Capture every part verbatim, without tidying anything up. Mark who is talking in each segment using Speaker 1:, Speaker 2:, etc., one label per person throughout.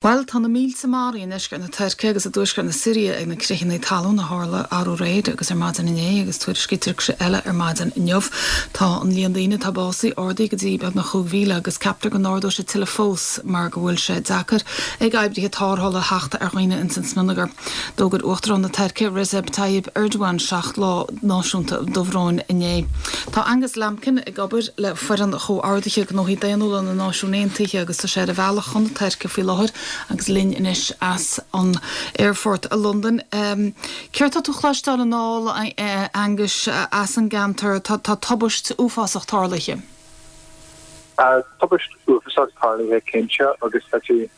Speaker 1: Bhuel, tá na mílte maraithe i ndeisceart na Tuirce agus i dtuaisceart na Siria ag na critheanna talún a tharla arú aréir agus ar maidin inné agus tuairiscítear crith eile ar maidin inniu. Tá an líon daoine atá básaithe ardaithe go dtí beagnach cúig mhíle agus ceaptar go n-ardóidh sé tuilleadh fós mar go bhfuil sé deacair ag oibrithe tarrthála theacht ar dhaoine ins an smionagar. D'fhógair Uachtarán na Tuirce Recep Tayyip Erdogan seacht lá náisiúnta dobhróin inné. Tá Angus Lambkin ag obair le foireann chomhordaithe gnóthaí daonnúla na Náisiún Aontaithe agus tá sé ar a bhealach chun na Tuirce faoi láthair agus linn anois as an aerfort i Londain. Um, Céard tá tú a chloisteáil anall Angus as an gceantar tá tá tubaist uafásach tarlaithe.
Speaker 2: Uh, tubaist uafásach tarlaithe cinnte agus tá sé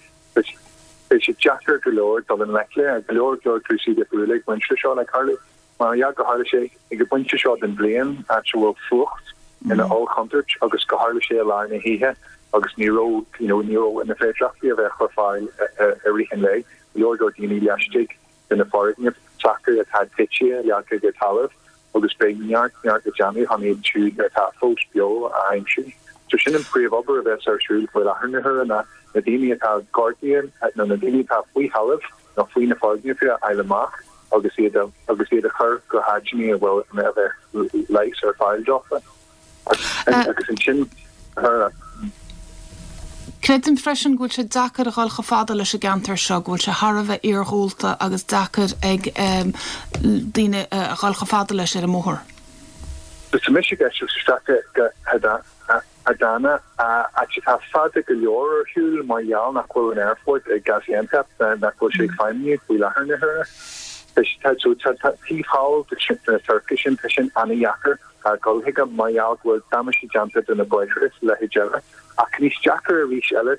Speaker 2: deacair go leor dul i ngleic le go leor leor cúrsaí difriúla ag baint seo le tarlú mar ja go tharla sé ag an bpointe seo den bhliain áit a bhfuil fuacht ina ollchontúirt agus go tharla sé i lár na hoíche agus ní raibh you know, ní raibh na féidearthachtaí a bheith ar fáil i rith an lae leor leor daoine laistigh de na foirgnimh s'acu atá tite leagtha go talamh agus beidh neart neart le déanamh chun iad siúd atá fós beo a aimsiú. So sin an príomhobair a bheas ar siúl faoi láthair na huaire na na daoine atá gortaithe nó na daoine atá faoi thalamh nó faoi na foirgnimh a fháil amach agus iad agus iad a chur go háiteanna a bhfuil a bheith leigheas ar fáil dófa. Agus ansin
Speaker 1: Creidim freisin go bhfuil sé deacair a dhul chomh fada leis an gceantar seo, go bhfuil sé thar a bheith iargúlta agus deacair ag um, daoine a dhul chomh fada leis ar an mbóthar.
Speaker 2: Tá mise ag isteach go Adana atá fada go leor ar shiúl mar gheall nach bhfuil an aerfort ag Gaziantep nach bhfuil sé ag feidhmiú faoi láthair na huaire. Taobh thall na Tuirce sin tá sin an-deacair dul chuige mar gheall go bhfuil damáiste déanta do na bóithre le eile. Ach níos deacra arís eile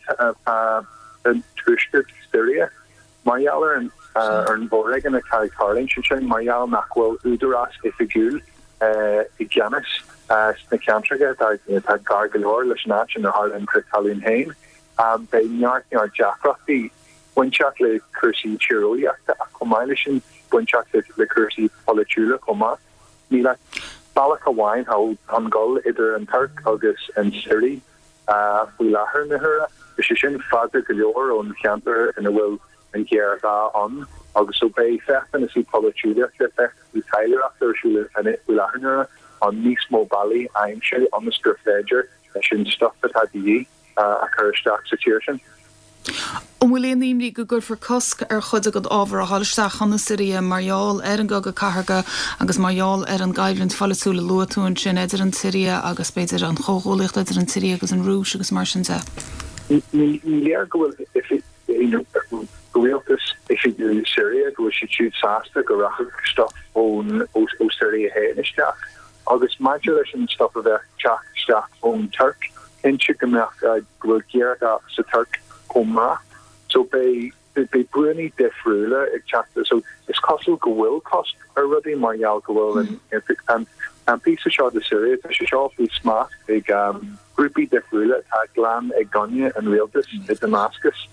Speaker 2: an tuaisceart Siria mar gheall ar an ar an bhforéigean atá ag tarlú sin mar gheall nach bhfuil údarás oifigiúil i gceannas sna ceantracha atá gar go leor leis an áit inar tharla an crith talún féin. Beidh neart neart deacrachtaí bainteach le cúrsaí tíreolaíochta ach chomh maith leis sin bainteach le cúrsaí polaitiúla chomh maith. Níl ach bealach amháin chun dul idir an Tuirc agus an Siria faoi láthair na huaire. Is sé sin fada go leor ón cheantar ina bhfuil an géarghá ann agus so beidh feachtas polaitiúlachta feachtas taidhleoireachta ar siúl faoi láthair na huaire an níos mó bealaí a aimsiú ionas gur féidir leis an stuif atá de dhíth a chur isteach sa tír sin.
Speaker 1: An bhfuil aon imní go gcuirfear cosc ar chuid den ábhar a dhul isteach chun na Siria mar gheall ar an gcogadh cathartha agus mar gheall ar an gcoimhlint pholaitiúil a luaigh tú ansin idir an tSiria agus b'fhéidir an chomhghuaillíocht idir an tSiria agus an Rúis agus mar sin de.
Speaker 2: Ní léir go bhfuil rialtas oifigiúil Siria go bhfuil siad siúd sásta go rachadh stuif ón ó Siria féin isteach. Agus maidir leis an stuif a bheith teacht isteach ón Tuirc, cinnte go mbeadh go bhfuil géarghá sa Tuirc chomh maith. So beidh beidh brúnna difriúla ag teacht so is cosúil go bhfuil cosc ar rudaí mar gheall go bhfuil an an an píosa seo de Siria tá sé seo faoi smacht ag um, grúpaí difriúla atá glan i gcoinne an rialtas i Damascus.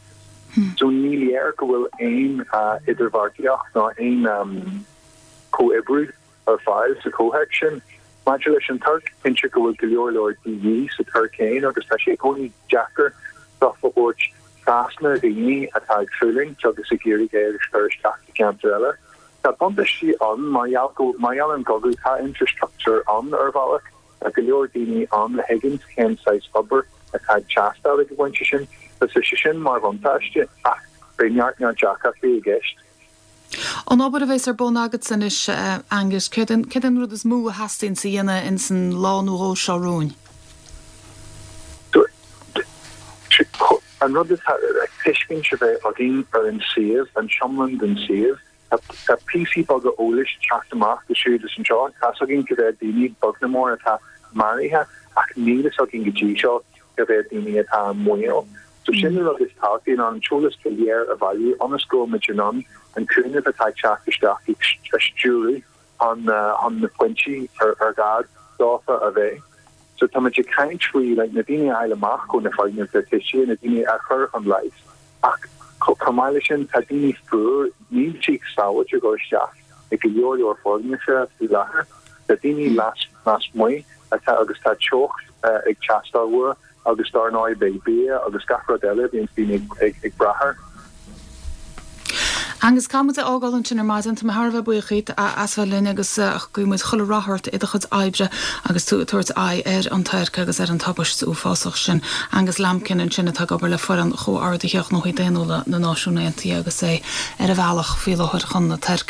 Speaker 2: So ní léir go bhfuil aon uh, idirbheartaíocht ná aon um, comhoibriú ar fáil sa chomhthéacs sin. Maidir leis an Tuirc cinnte go bhfuil go leor leor de dhíth sa Tuirc féin agus tá sé i gcónaí deacair stuif a thabhairt trasna daoine atá ag fulaingt agus ag iarraidh é a chur isteach i gceantar eile. Tá buntáistí ann mar gheall mar gheall an gcogadh tá infrastructure ann ar bhealach tá go leor daoine ann a thuigeann cén saghas obair atá ag teastáil ag an bpointe sin, Tá sé sin mar bhuntáiste ach beidh neart neart deacrachtaí i gceist.
Speaker 1: An obair a bheas ar bun agat anois Angus, céard an rud is mó a theastaíonn a dhéanamh in san lá nó dhó seo romhainn?
Speaker 2: An rud atá tuiscint a bheith againn ar an suíomh an iomlán den suíomh Tá píosaí beaga eolais teacht amach go siúd is anseo tá againn go bhfuil daoine beag nó mór atá maraithe ach níl a fhios againn go dtí seo go bhfuil daoine atá i mbaol. So sin an rud is tábhachtaí ná an t-eolas go léir a bhailiú ionas go mbeidh in ann an cúnamh atá ag teacht isteach a stiúradh an an na pointí ar ar gá dófa a bheith. So tá muid ag caint faoi like, na daoine a fháil amach ó na foirgnimh atá tite na daoine a chur chun leighis ach chomh maith leis sin tá daoine fuar níl siad sábháilte dul isteach ag go leor leor foirgnimh faoi láthair. Tá daoine las lasmuigh atá agus tá teocht uh, ag teastáil uathu agus dar ndóigh beidh bia agus gach rud eile bíonn daoine ag, ag, ag brath air.
Speaker 1: Angus caithfidh muid a fhágáil ansin ar maidin tá mé thar a bheith buíoch díot as bheith linn agus guímid chuile rath ort i do chuid oibre agus tú ag tabhairt aghaidh ar an Tuirc agus ar an tubaiste uafásach sin. Angus Lambkin ansin atá ag obair le foireann chomhordaithe gnóthaí daonnúla na Náisiún Aontaithe agus é ar a bhealach faoi láthair chun na Tuirce.